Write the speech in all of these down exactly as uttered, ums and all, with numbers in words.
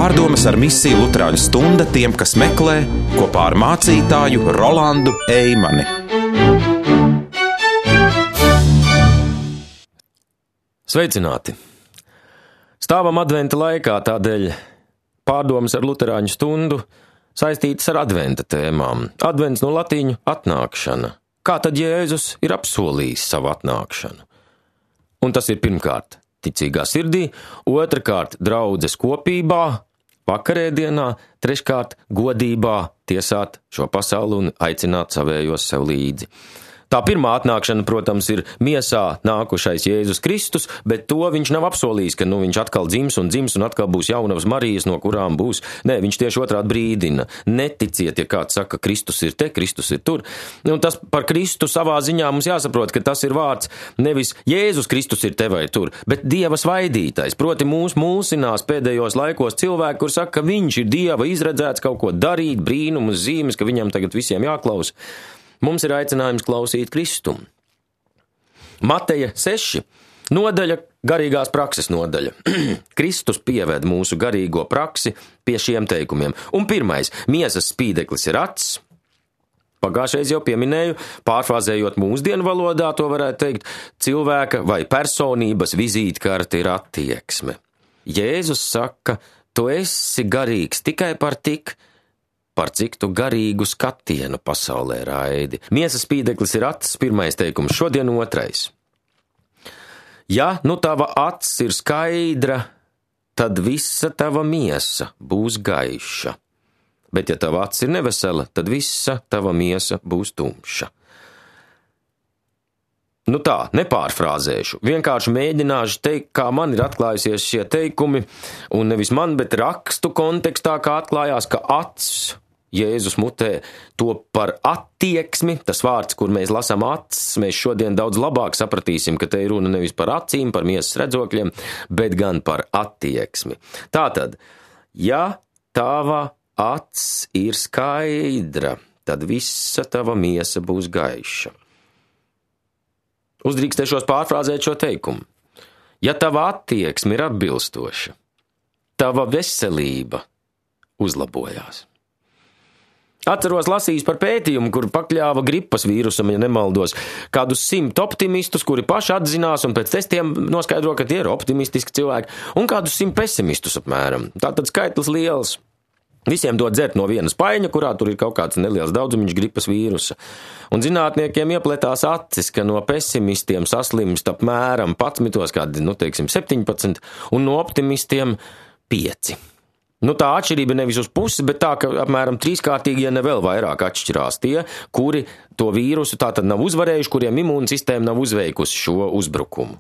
Pārdomas ar misiju Luterāņu stunda tiem, kas meklē, kopā ar mācītāju Rolandu Eimani. Sveicināti! Stāvam adventa laikā, tādēļ pārdomas ar Luterāņu stundu saistītas ar adventa tēmām. Advents no latīņu atnākšana. Kā tad Jēzus ir apsolījis savu atnākšanu? Un tas ir pirmkārt ticīgā sirdī, otrkārt draudzes kopībā, vakarēdienā, treškārt godībā tiesāt šo pasauli un aicināt savējos sev līdzi. Tā pirmā atnākšana, protams, ir miesā nākušais Jēzus Kristus, bet to viņš nav apsolījis, ka nu, viņš atkal dzims un dzims un atkal būs jaunavas Marijas, no kurām būs. Nē, viņš tieši otrādi brīdina. Neticiet, ja kāds saka, Kristus ir te, Kristus ir tur. Un tas par Kristu savā ziņā mums jāsaprot, ka tas ir vārds nevis Jēzus Kristus ir te vai tur, bet Dieva svaidītais. Proti mūs mulsinās pēdējos laikos cilvēki, kur saka, ka viņš ir Dieva izredzēts kaut ko darīt, brīnumus, zīmes, ka viņam tagad visiem jāklaus. Mums ir aicinājums klausīt Kristu. Mateja seši, nodaļa, garīgās prakses nodaļa. Kristus pieved mūsu garīgo praksi pie šiem teikumiem. Un pirmais, miesas spīdeklis ir acs. Pagājušais jau pieminēju, pārfrāzējot mūsdienu valodā, to varētu teikt, cilvēka vai personības vizītkarte ir attieksme. Jēzus saka, tu esi garīgs tikai par tik, par cik tu garīgu skatienu pasaulē raidi. Miesas spīdeklis ir acs, pirmais teikums, šodien otrais. Ja nu tava acs ir skaidra, tad visa tava miesa būs gaiša. Bet ja tava acs ir nevesela, tad visa tava miesa būs tumša. Nu tā, nepārfrāzēšu, vienkārši mēģināšu teikt, kā man ir atklājusies šie teikumi, un nevis man, bet rakstu kontekstā, kā atklājās, ka acs Jēzus mutē to par attieksmi, tas vārds, kur mēs lasām acis, mēs šodien daudz labāk sapratīsim, ka te ir runa nevis par acīm, par miesas redzokļiem, bet gan par attieksmi. Tātad, ja tava acs ir skaidra, tad visa tava miesa būs gaiša. Uzdrīkstēšos pārfrāzēt šo teikumu. Ja tava attieksme ir atbilstoša, tava veselība uzlabojās. Atceros lasījis par pētījumu, kur pakļāva gripas vīrusam, ja nemaldos, kādus simt optimistus, kuri paši atzinās un pēc testiem noskaidro, ka tie ir optimistiski cilvēki, un kādus simt pesimistus apmēram. Tātad skaitlis liels. Visiem dod dzert no vienas paiņa, kurā tur ir kaut kāds neliels daudzumiņš gripas vīrusa. Un zinātniekiem iepletās acis, ka no pesimistiem saslimst apmēram padsmitos, kādi, nu teiksim, septiņpadsmit, un no optimistiem pieci. Nu tā atšķirība nevis uz pusi, bet tā, ka apmēram trīskārtīgi, ja ne vēl vairāk atšķirās tie, kuri to vīrusu tātad nav uzvarējuši, kuriem imūnsistēma nav uzveikusi šo uzbrukumu.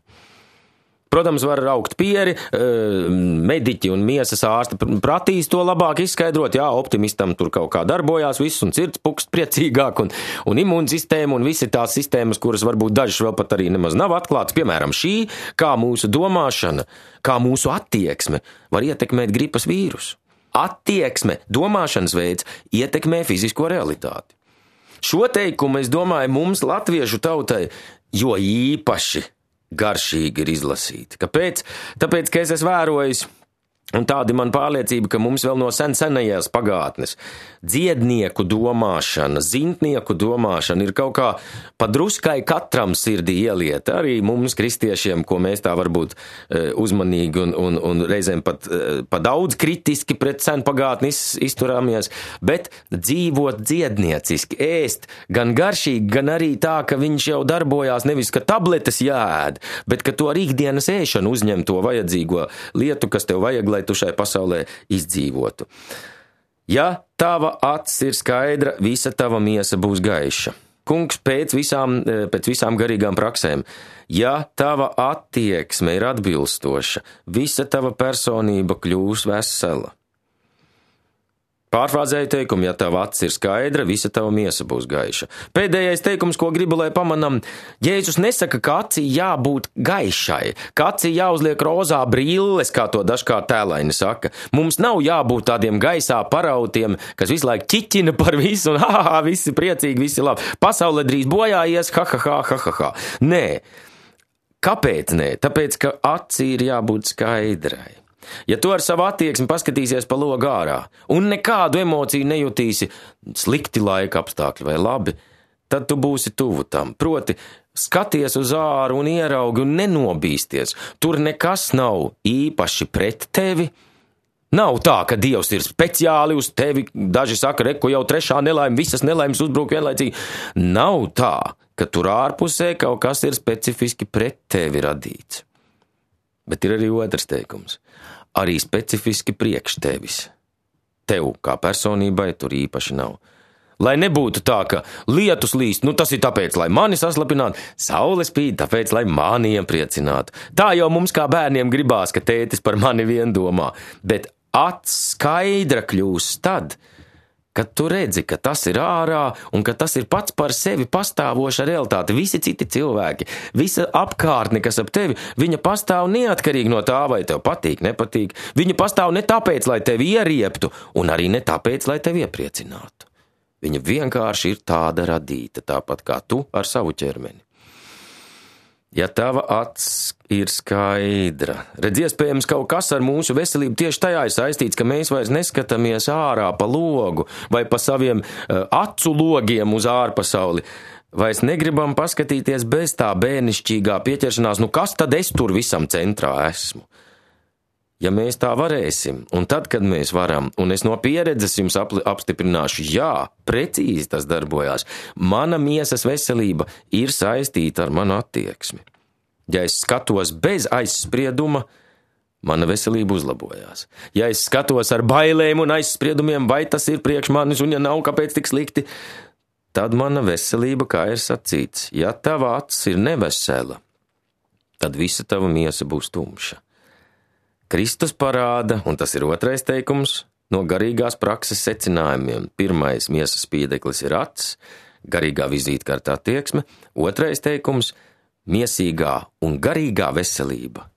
Protams, var raukt pieri, mediķi un miesas ārsti pratīs to labāk izskaidrot, jā, optimistam tur kaut kā darbojās viss un sirds pukst priecīgāk un, un imūnsistēma un visi tās sistēmas, kuras varbūt dažas vēl pat arī nemaz nav atklātas, piemēram šī, kā mūsu domāšana, kā mūsu attieksme var ietekmēt gripas vīrusu. Attieksme, domāšanas veids ietekmē fizisko realitāti. Šo teikumu, es domāju, mums latviešu tautai jo īpaši garšīgi ir izlasīti. Kāpēc? Tāpēc, ka es esmu vērojis, un tāda man pārliecība, ka mums vēl no sen senajās pagātnes dziednieku domāšana, zintnieku domāšana ir kaut kā padruskai katram sirdī ielieta, arī mums kristiešiem, ko mēs tā varbūt uzmanīgi un, un, un reizēm pat pa daudz kritiski pret sen pagātni izturāmies, bet dzīvot dziednieciski, ēst gan garšīgi, gan arī tā, ka viņš jau darbojās nevis, ka tabletes jāēd, bet ka to ar ikdienas ēšanu uzņem to vajadzīgo lietu, kas tev vajag, lai tu šai pasaulē izdzīvotu. Ja tava acs ir skaidra, visa tava miesa būs gaiša. Kungs pēc visām, pēc visām garīgām praksēm. Ja tava attieksme ir atbilstoša, visa tava personība kļūs vesela. Pārfrāzēju teikumu, ja tava acs ir skaidra, visa tava miesa būs gaiša. Pēdējais teikums, ko gribu, lai pamanam, Jēzus nesaka, ka acī jābūt gaišai, ka acī jāuzliek rozā brilles, kā to dažkārt tēlaini saka. Mums nav jābūt tādiem gaisā parautiem, kas visu laiku ķiķina par visu, un ha, ha, ha, visi priecīgi, visi labi. Pasaule drīz bojājies, ha, ha, ha, ha, ha, ha. Nē. Kāpēc nē? Tāpēc, ka acī ir jābūt skaidrai. Ja tu ar savu attieksmi paskatīsies pa logu ārā un nekādu emociju nejutīsi slikti laika apstākļi vai labi, tad tu būsi tuvu tam. Proti, skaties uz āru un ieraugi un nenobīsties. Tur nekas nav īpaši pret tevi. Nav tā, ka Dievs ir speciāli uz tevi. Daži saka, reku jau trešā nelaime, visas nelaimes uzbruk vienlaicīgi. Nav tā, ka tur ārpusē kaut kas ir specifiski pret tevi radīts. Bet ir arī otrs teikums. Arī specifiski priekš tevis. Tev kā personībai tur īpaši nav. Lai nebūtu tā, ka lietus līst, nu tas ir tāpēc, lai mani saslapinātu, saule spīd, tāpēc, lai mani iepriecinātu. Tā jau mums kā bērniem gribās, ka tētis par mani vien domā, bet acs skaidra kļūs tad, kad tu redzi, ka tas ir ārā un ka tas ir pats par sevi pastāvoša realitāte. Visi citi cilvēki, visa apkārtne, kas ap tevi, viņa pastāv neatkarīgi no tā, vai tev patīk, nepatīk. Viņa pastāv ne tāpēc, lai tevi ierieptu, un arī ne tāpēc, lai tevi iepriecinātu. Viņa vienkārši ir tāda radīta, tāpat kā tu ar savu ķermeni. Ja tava acs ir skaidra, redz, iespējams, kaut kas ar mūsu veselību tieši tajā ir saistīts, ka mēs vairs neskatāmies ārā pa logu vai pa saviem uh, acu logiem uz ārpasauli. Vairs negribam paskatīties bez tā bērnišķīgā pieķeršanās, nu kas tad es tur visam centrā esmu? Ja mēs tā varēsim, un tad, kad mēs varam, un es no pieredzes jums apstiprināšu, jā, precīzi tas darbojās, mana miesas veselība ir saistīta ar manu attieksmi. Ja es skatos bez aizsprieduma, mana veselība uzlabojās. Ja es skatos ar bailēm un aizspriedumiem, vai tas ir priekš manis, un ja nav, kāpēc tik slikti, tad mana veselība, kā ir sacīts, ja tava acs ir nevesela, tad visa tava miesa būs tumša. Kristus parāda, un tas ir otrais teikums, no garīgās prakses secinājumiem. Pirmais miesas spīdeklis ir acs, garīgā vizītkarta attieksme. Otrais teikums – miesīgā un garīgā veselība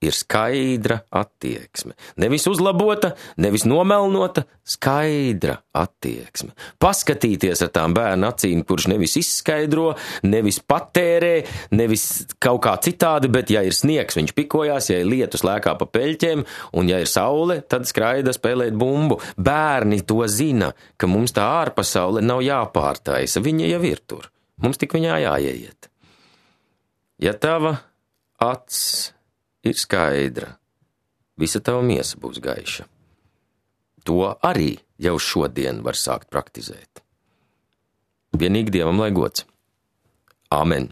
ir skaidra attieksme. Nevis uzlabota, nevis nomelnota, skaidra attieksme. Paskatīties ar tām bērnu acīm, kurš nevis izskaidro, nevis patērē, nevis kaut kā citādi, bet ja ir sniegs, viņš pikojās, ja ir lietus lēkā pa peļķiem, un ja ir saule, tad skraida spēlēt bumbu. Bērni to zina, ka mums tā ārpasaule nav jāpārtaisa, viņa jau ir tur. Mums tik viņā jāieiet. Ja tava acs ir skaidra, visa tava miesa būs gaiša. To arī jau šodien var sākt praktizēt. Vienīgi Dievam lai gods. Āmen.